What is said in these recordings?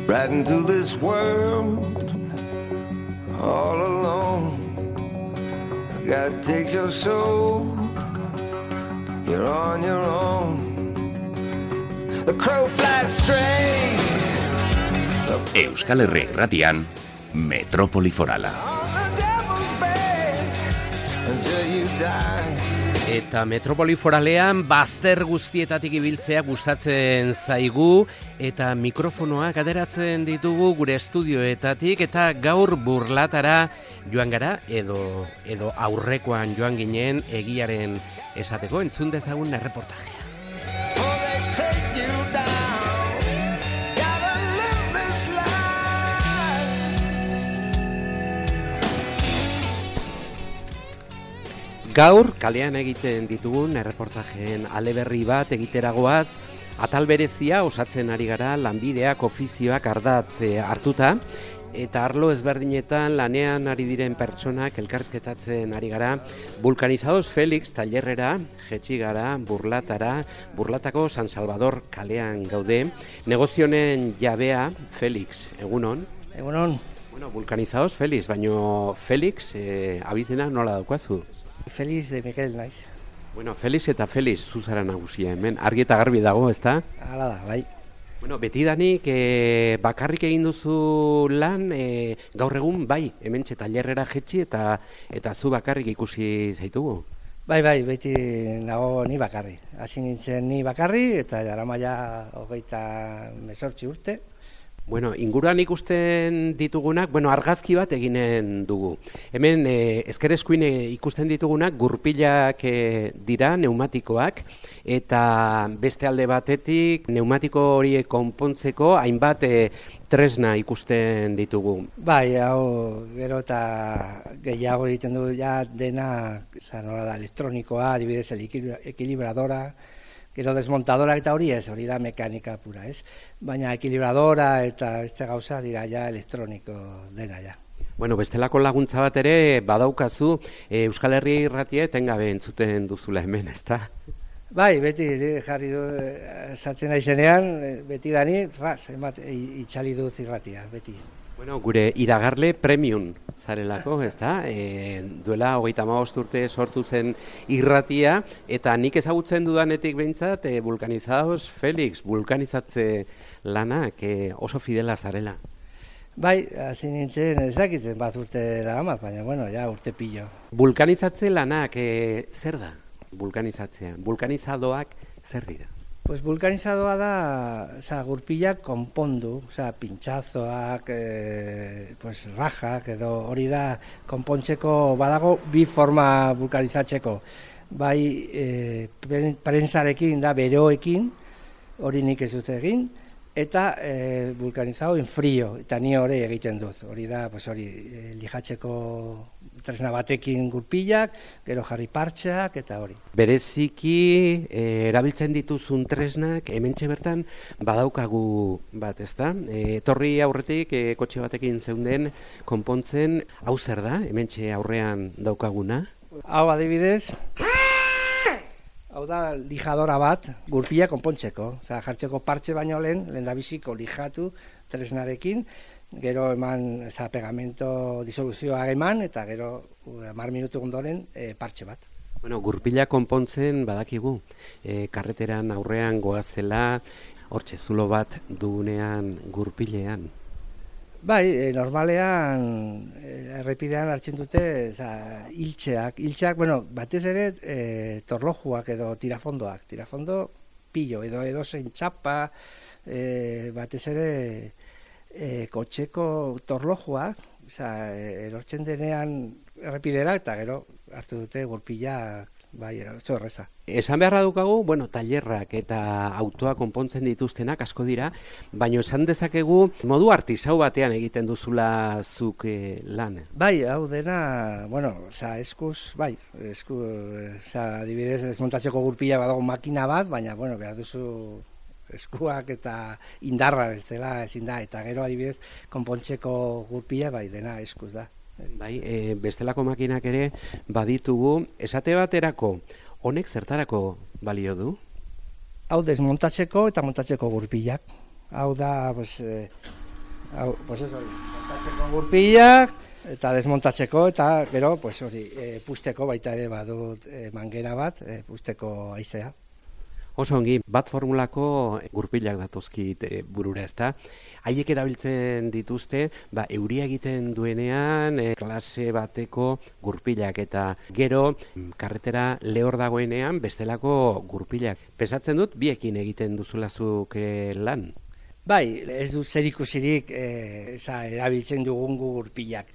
right into this world all alone. God takes your soul, you're on your own. The crow flies straight. Euskal Herri Irratian, Metropoli Forala. Eta Metropoli Foralean bazter guztietatik ibiltzea gustatzen zaigu eta mikrofonoak ateratzen ditugu gure estudioetatik eta gaur Burlatara joan gara edo aurrekoan joan ginen egiaren esateko entzun dezagun erreportajea. Gaur, kalean egiten ditugun erreportajeen aleberri bat egiteragoaz, atal berezia osatzen ari gara lanbideak ofizioak ardatz hartuta, eta arlo ezberdinetan lanean ari diren pertsonak elkarrizketatzen ari gara, Vulcanizados Felix tailerrera, jetxi gara, Burlatako San Salvador kalean gaude, negozionen jabea, Felix, egunon? Egunon. Bueno, Vulcanizados Felix, baino Felix, abizena nola daukazu? Felix de Miguel naiz. Bueno, Felix eta Felix zuzara nagusia hemen. Argi eta garbi dago, ezta? Hala da, bai. Bueno, betidanik bakarrik egin duzu lan, gaur egun bai, hementxe tailerrera jetxi eta zu bakarrik ikusi zaitugu. Bai, beti nago ni bakarri. Hasi nintzen ni bakarri eta jaramaia 28 urte. Bueno, inguruan ikusten ditugunak, argazki bat eginen dugu. Hemen ezker-eskuin ikusten ditugunak gurpilak dira, neumatikoak, eta beste alde batetik pneumatiko horiek konpontzeko hainbat tresna ikusten ditugu. Bai, hau gero eta gehiago egiten du ja dena, nola da, elektronikoa, adibidez ekilibradora, gero desmontadora eta hori da mekanika pura, ez? Baina ekilibradora eta beste gauza dira ja elektroniko dena ja. Bueno, bestelako laguntza bat ere badaukazu Euskal Herri Irratia etengabe entzuten duzula hemen, ezta? Bai, beti jarri du sartzen naizenean, beti dani, itxali dut irratia, beti. Bueno, gure iragarle premium zarelako, ezta? Duela 35 urte sortu zen irratia, eta nik ezagutzen dudanetik behintzat, Vulcanizados Felix, vulkanizatze lanak oso fidela zarela. Bai, hasi nintzen ezakitzen bat urte da amat, baina, ja urte pillo. Vulkanizatze lanak zer da? Vulkanizatzea. Vulkanizadoak zer dira? Pues vulkanizadoa da, gurpilak konpondu, pintxazoak, rajak, edo hori da konpontzeko badago bi forma vulkanizatzeko. Bai, prentsarekin da beroekin, hori nik ez dut egin, eta vulkanizado en frío, eta ni hori egiten dut. Hori da, lijatzeko tresna batekin gurpilak, gero jarri partxeak eta hori. Bereziki erabiltzen dituzun tresnak hementxe bertan badaukagu bat, ezta? Etorri aurretik kotxe batekin zeunden konpontzen, hau zer da, hementxe aurrean daukaguna? Hau adibidez, hau da lijadora bat, gurpila konpontzeko. Jartzeko partxe baino lehen da biziko lijatu tresnarekin, gero eman pegamento disoluzioa eman, eta gero 10 minutu ondoren partxe bat. Bueno, gurpila konpontzen badakigu, karreteran aurrean goazela, hortxe zulo bat dugunean gurpilean. Bai, normalean errepidean hartzen dute hiltxeak, batez ere torlojuak edo tirafondoak, tirafondo pillo, edo zein txapa, batez ere kotxeko torlojuak, erortzen denean errepidera eta gero hartu dute gurpila, bai, oso erreza. Esan beharra dukagu, tailerrak eta autoa konpontzen dituztenak asko dira, baina esan dezakegu modu artisau batean egiten duzula zuk lan. Bai, hau dena, eskuz, adibidez desmontatzeko gurpila badago makina bat, baina, behar duzu eskuak eta indarra bestela ezin da, eta gero adibidez konpontzeko gurpila, bai, dena eskuz da. Bai, bestelako makinak ere baditugu, esate baterako, honek zertarako balio du? Hau desmontatzeko eta montatzeko gurpilak. Hau da, Hau, pues ez hori, montatzeko gurpilak, eta desmontatzeko, eta gero, pues hori, pusteko baita ere badut mangera bat, pusteko haizea. Oso ongi, bat formulako gurpilak datozkit burura, ezta? Haiek erabiltzen dituzte, euria egiten duenean, klase bateko gurpilak, eta gero, karretera lehor dagoenean, bestelako gurpilak. Pesatzen dut, biekin egiten duzulazuk lan? Bai, ez dut zer ikusirik erabiltzen dugun gurpilak.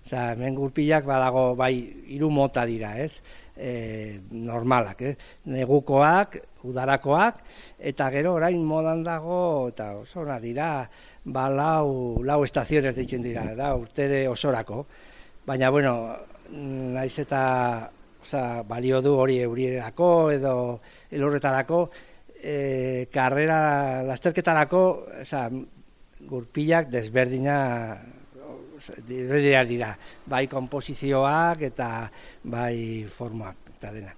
Hemen gurpilak badago, bai, 3 mota dira, ez? Normalak, negukoak, udarakoak, eta gero orain modan dago, eta oso ona dira, lau estaziones deitzen dira, da, urtere osorako. Baina, bueno, naiz eta balio du hori eurierako edo elurretarako, karrera lasterketarako, gurpilak desberdina dira, bai komposizioak eta bai formak eta dena.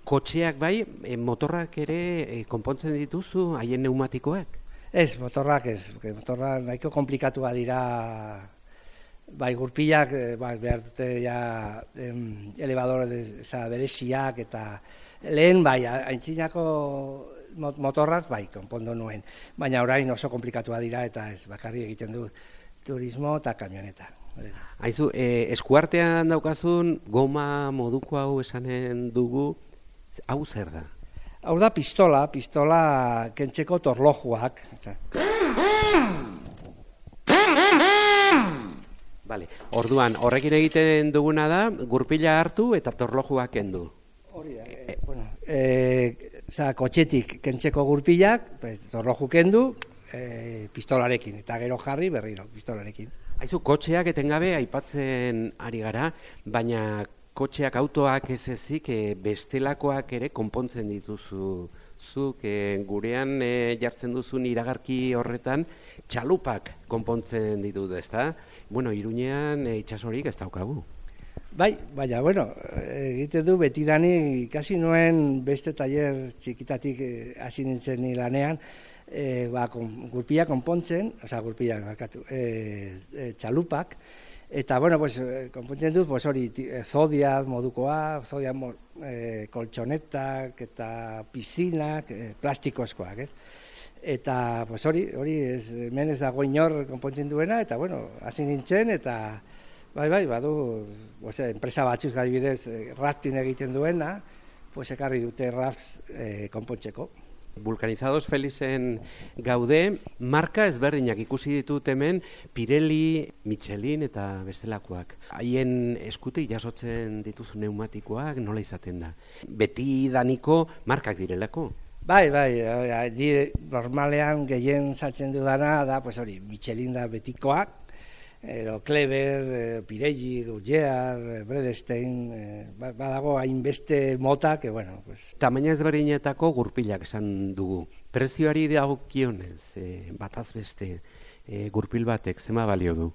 Kotxeak bai, motorrak ere konpontzen dituzu, haien pneumatikoak? Ez, motorrak nahiko komplikatua dira, bai gurpilak behar dute elevadore bereziak eta lehen bai, aintzinako motorraz bai, konpondo nuen, baina orain oso komplikatua dira eta ez bakarri egiten dut turismo eta kamioneta. Aizu, eskuartean daukazun goma moduko hau esanen dugu, hau zer da? Hau da pistola kentzeko torlojuak. Vale, orduan, horrekin egiten duguna da, gurpila hartu eta torlojuak kendu. Hori da, kotxetik kentzeko gurpilak, torloju kendu, pistolarekin, eta gero jarri berriro pistolarekin. Haizu, kotxeak etengabe aipatzen ari gara, baina kotxeak, autoak ez ezik bestelakoak ere konpontzen dituzu. Zuk gurean jartzen duzun iragarki horretan txalupak konpontzen ditut, ezta? Bueno, Iruñean itsasorik ez daukagu. Bai, baina, bueno, egite du betidani ikasi nuen beste tailer txikitatik hasi nintzen lanean, gurpila konpontzen, gurpila markatu, txalupak, eta, bueno, konpontzen dut, hori, zodiaz modukoa, zodiaz koltsonetak eta piszinak, plastikozkoak, ez? Eta, hori, hemen ez dago inor konpontzen duena, eta, bueno, hasi nintzen, eta, bai, badu, enpresa batzuz adibidez, rafting egiten duena, ekarri dute rafts konpontzeko. Vulcanizados Felizen gaude, marka ezberdinak ikusi ditut hemen, Pirelli, Michelin eta bestelakoak. Haien eskutik jasotzen dituzu pneumatikoak, nola izaten da? Beti daniko markak direlako? Bai, normalean gehien saltzen dudana da, Michelin da betikoak, Kleber, Pirelli, Goodyear, Bredestein, badago hainbeste mota, Tamaina ezberdinetako gurpilak esan dugu. Prezioari dagokionez, bataz beste, gurpil batek zema balio du?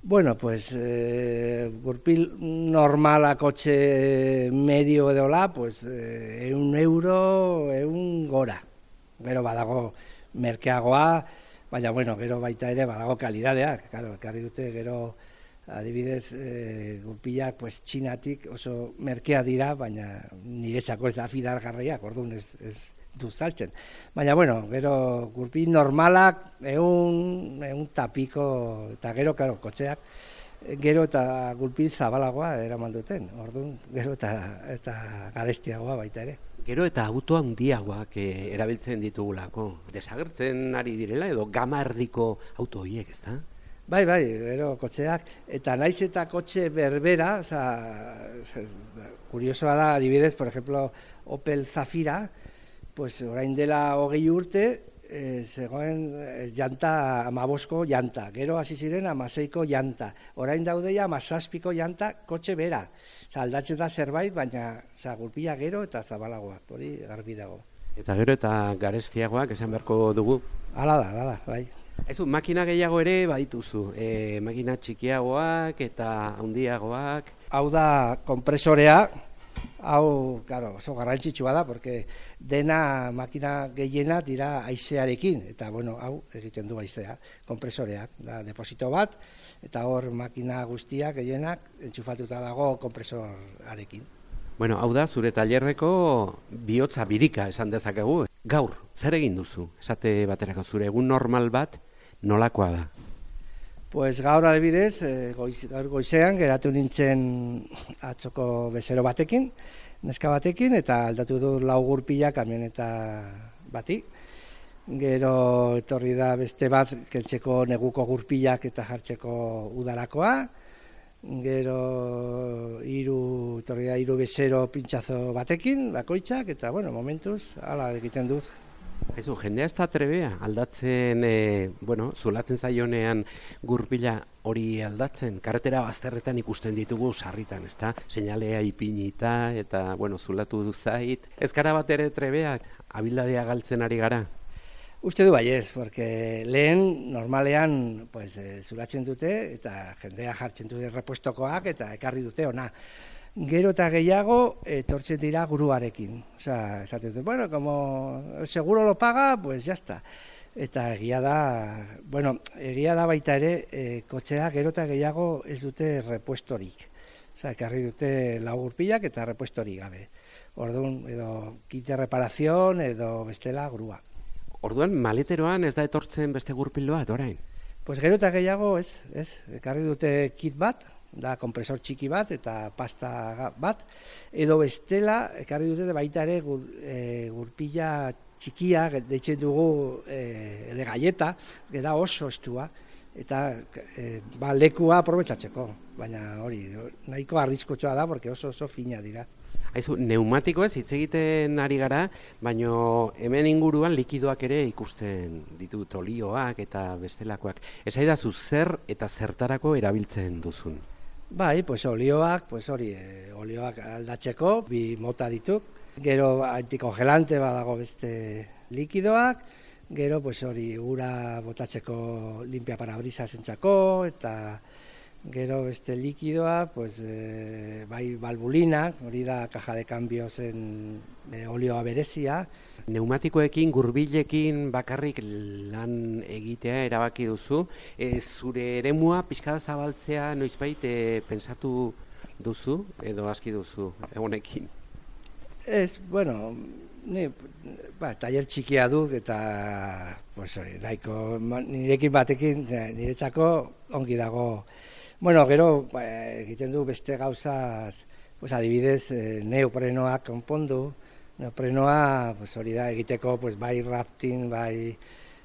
Bueno, gurpil normala kotxe medio edola, €1, €1 Gero badago merkeagoa, baina, gero baita ere badago kalidadeak, ekarri dute gero adibidez gurpilak txinatik oso merkea dira, baina niretzako ez da fidargarriak, orduan ez du saltzen. Baina, gero gurpil normalak ehun tapiko, eta gero, kotxeak, gero eta gurpil zabalagoa eraman duten, orduan gero eta garestiagoa baita ere. Gero eta auto handiagoak erabiltzen ditugulako, desagertzen ari direla edo gama erdiko auto horiek, ezta? Bai, gero kotxeak, eta naiz eta kotxe berbera, kuriosoa da, adibidez, por ejemplo, Opel Zafira, orain dela 20 urte, zegoen janta 15ko janta, gero hasi ziren 16ko janta, orain daudeia 17ko janta kotxe bera. Aldatzen da zerbait, baina gurpila gero eta zabalagoak, hori garbi dago. Eta gero eta garestiagoak esan beharko dugu? Hala da, bai. Aizu, makina gehiago ere badituzu, makina txikiagoak eta handiagoak. Hau da kompresorea, Hau, claro, oso garrantzitsua da, porque dena makina gehiena dira haizearekin, eta bueno, hau egiten du haizea, konpresoreak, da deposito bat, eta hor makina guztiak gehienak entxufatuta dago konpresorarekin. Bueno, hau da, zure tailerreko bihotza birika esan dezakegu. Gaur, zer egin duzu? Esate baterako zure egun normal bat nolakoa da? Pues gaur adibidez, gaur goizean geratu nintzen atzoko bezero batekin, neska batekin, eta aldatu du 4 gurpila kamioneta bati. Gero etorri da beste bat kentzeko neguko gurpilak eta jartzeko udarakoa. Gero etorri da 3 bezero pintxazo batekin, bakoitzak, eta bueno, momentuz, hala egiten dut. Aizu, jendea ez da trebea aldatzen, zulatzen zaionean gurpila hori aldatzen. Karretera bazterretan ikusten ditugu sarritan, ezta? Seinalea ipinita eta, zulatu du zait. Ez gara bat ere trebeak, abildadea galtzen ari gara? Uste du baiez, porque lehen normalean zulatzen dute eta jendea jartzen dute repuestokoak eta ekarri dute ona. Gero eta gehiago etortzen dira guruarekin. Osea, esaten dut, como seguro lo paga, pues ya está. Eta egia da baita ere, kotxea gero eta gehiago ez dute repuestorik. Osea, ekarri dute 4 gurpilak eta repuestorik gabe. Orduan, edo kit de reparación edo bestela grua. Orduan, maleteroan ez da etortzen beste gurpil bat, orain? Pues gero eta gehiago ez. Ekarri dute kit bat, da kompresor txiki bat eta pasta bat, edo bestela ekarri dute baita ere gurpila txikia, deitzen dugu de galleta, da oso estua, eta lekua aprobetxatzeko, baina hori, nahiko arriskutsua da, porque oso fina dira. Aizu, neumatikoez hitz egiten ari gara, baino hemen inguruan likidoak ere ikusten ditut, olioak eta bestelakoak. Esaidazu zer eta zertarako erabiltzen duzun? Bai, olioak, olioak aldatzeko, 2 mota dituk. Gero antikongelante badago beste likidoak, gero ura botatzeko limpia parabrisas entzako, eta gero beste likidoa, bai balbulinak, hori da caja de cambiosen olioa berezia. Neumatikoekin, gurbilekin bakarrik lan egitea erabaki duzu. Zure eremua pixka zabaltzea noizbait pentsatu duzu edo aski duzu egonekin? Ez, ni tailer txikia dut eta nahiko nirekin batekin niretzako ongi dago. Gero egiten du beste gauzaz, adibidez neoprenoak konpondu. Neoprenoa hori da egiteko bai rafting, bai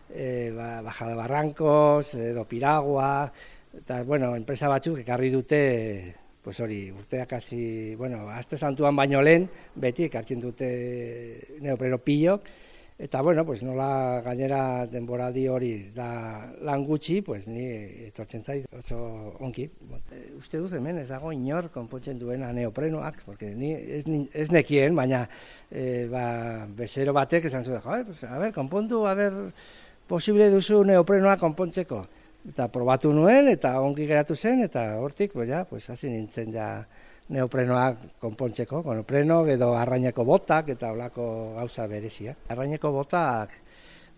bajada barrancos, edo piragua, eta enpresa batzuk ekarri dute urteak hasi, aste santuan baino lehen, beti ekartzen dute neopreno pilok, eta nola gainera denboraldi hori da lan gutxi, ni etortzen zait oso onki. Uste duz hemen ez dago inor konpontzen duena neoprenoak, porque ni ez nekien, baina bezero batek esan zuen, konpondu, posible duzu neoprenoak konpontzeko. Eta probatu nuen, eta ongi geratu zen, eta hortik, hasi nintzen neoprenoak konpontzeko, neopreno edo arraineko botak eta olako gauza berezia. Arraineko botak,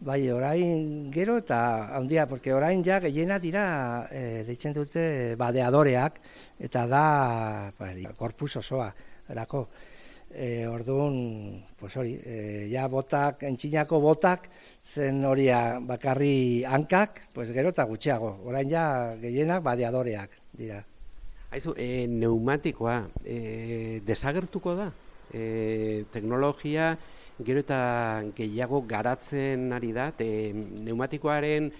orain gero eta handia, porque orain gehiena dira deitzen dute badeadoreak, eta da korpus osoa erako. Orduan, botak, entxinako botak, zen horia bakarri hankak, gero eta gutxiago. Orain gehienak badeadoreak dira. Aizu, neumatikoa desagertuko da? Teknologia gero eta gehiago garatzen ari da, neumatikoaren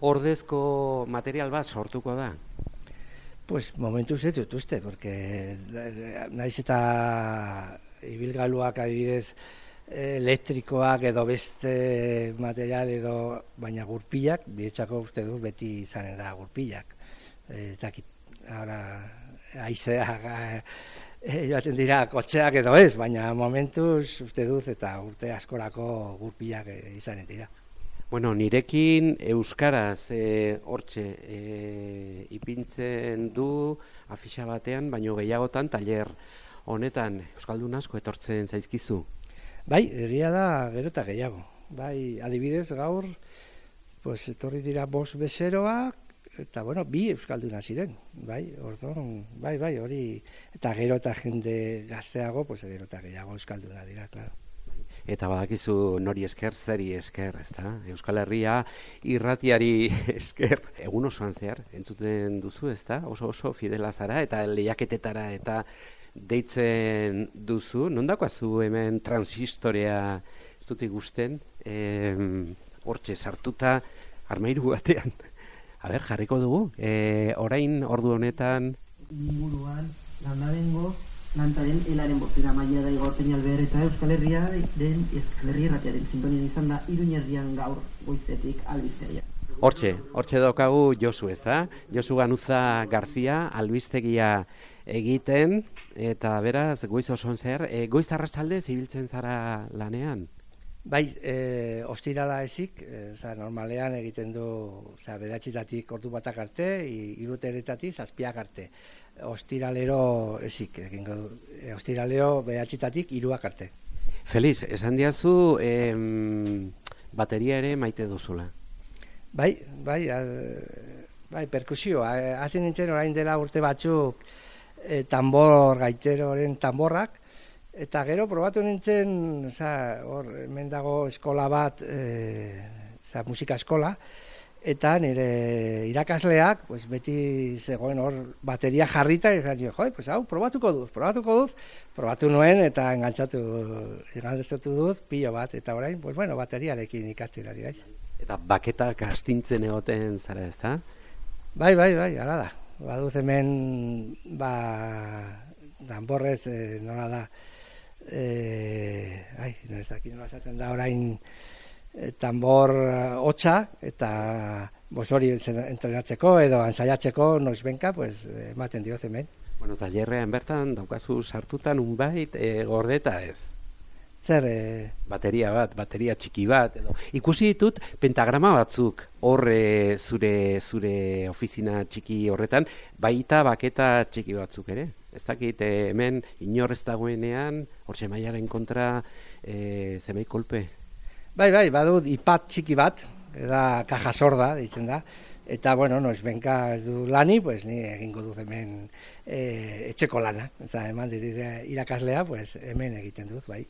ordezko material bat sortuko da? Momentuz ez dut uste, porque naiz eta ibilgailuak adibidez elektrikoak edo beste material edo baina gurpilak, biretzako uste dut beti izanen da gurpilak. Haizea joaten dira kotxeak edo ez, baina momentuz uste dut eta urte askorako gurpilak izanen dira. Nirekin euskaraz hortxe ipintzen du afixa batean, baino gehiagotan tailer honetan euskaldun asko etortzen zaizkizu? Bai, egia da gero eta gehiago. Bai, adibidez gaur, pues, etorri dira 5 bezeroak, eta bueno, 2 euskalduna ziren. Bai, orduan, bai, hori, eta gero eta jende gazteago, pues, gero eta gehiago euskalduna dira, claro. Eta badakizu nori esker, zeri esker, ezta? Euskal Herria irratiari esker, egun osoan zehar, entzuten duzu, ezta? Oso fidela zara, eta lehiaketetara eta deitzen duzu. Nondakoazu hemen transistorea ez dut igusten, hortxe sartuta armairu batean. Jarriko dugu, orain ordu honetan... Inguruan, landabengo, lantaren helaren bostera maila da igorten alber eta Euskal Herria den Euskal Herria irratiaren sintonian izan da Iruñerrian gaur goizetik albistegia. Hortxe daukagu Josu, ez da? Josu Ganuza Garzia albistegia egiten, eta beraz, goiz osoan zer, goiz arratsalde zibiltzen zara lanean? Bai, ostirala ezik, normalean egiten du, bederatzietatik ordu batak arte, 3:00 7:00 arte. Ostiralero ezik, egingo du. Ostiralero bederatzietatik 3:00 arte. Feliz, esan diazu bateria ere maite duzula. Bai, perkusioa. Hasi nintzen orain dela urte batzuk tambor gaiteroren tamborrak, eta gero probatu nintzen, hemen dago eskola bat, musika eskola, eta nire irakasleak, beti zegoen hor bateria jarrita, eta hau, probatuko duz, probatu nuen, eta engantzatu duz, pilo bat, eta orain, bateriarekin ikasten ari gaiz. Eta baketak astintzen egoten zara, ez da? Bai, hala da. Baduz hemen, danborrez, nola da, nola esaten da orain tambor hotza, eta hori entrenatzeko edo ensaiatzeko noizbenka, ematen dioz hemen. Bueno, tailerrean bertan daukazu sartutan unbait gordeta ez? Zer? Bateria txiki bat, edo. Ikusi ditut pentagrama batzuk horre zure ofizina txiki horretan, baita baketa txiki batzuk ere. Ez dakit hemen inor ez dagoenean, hortxe mailaren kontra zemei kolpe. Bai, badut ipat txiki bat, da kaja sorda, ditzen da, eta, noizbenka ez du lani, ni egingo dut hemen etxeko lana. Eta eman irakaslea, hemen egiten dut, bai.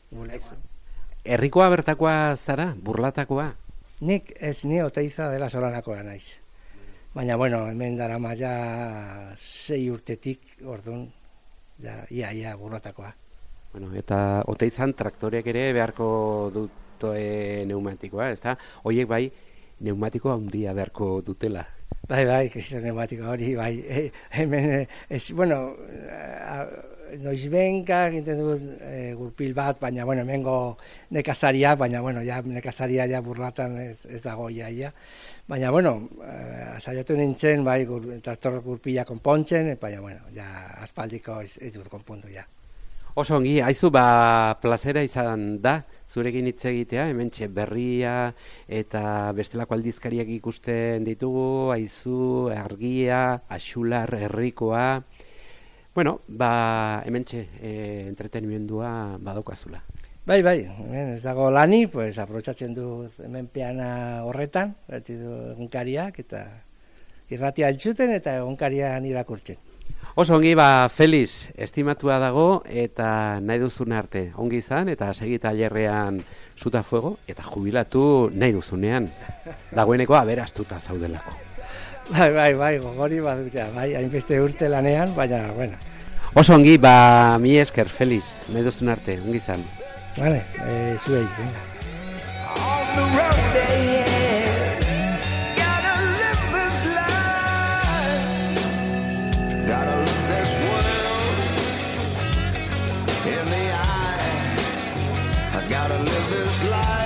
Herrikoa bertakoa zara, Burlatakoa? Nik ez ni Oteiza dela Solanakoa naiz. Baina, hemen dara maia 6 urtetik, orduan, ia Burlatakoa. Eta Oteizan traktoreak ere beharko dute neumatikoa, ez da? Horiek bai, neumatikoa handia beharko dutela. Bai, kristo neumatikoa hori, bai. Hemen, noizbenka egiten dut gurpil bat, baina, hemengo nekazaria, baina, nekazaria Burlatan ez dago ia. Baina, saiatu nintzen, bai, traktor gurpila konpontzen, baina, aspaldiko ez dut konpondu, ja. Oso ongi, haizu, plazera izan da, zurekin hitz egitea, hementxe Berria eta bestelako aldizkariak ikusten ditugu, haizu, Argia, Axular, Herrikoa. Hementxe entretenimendua badaukazula. Bai, hemen ez dago lani, aprobetxatzen du hemen peana horretan, egunkariak, eta irratia entzuten eta egunkarian irakurtzen. Oso ongi, Feliz, estimatua dago eta nahi duzun arte. Ongi izan eta segi tailerrean zuta fuego eta jubilatu nahi duzunean. Dagoeneko aberastuta zaudelako. Bai, gogori hainbeste urte lanean, baina, Oso ongi, mi esker, Feliz, nahi duzun arte, ongi izan. Vale, zuei, venga. Gotta look this world in the eye. I gotta live this life.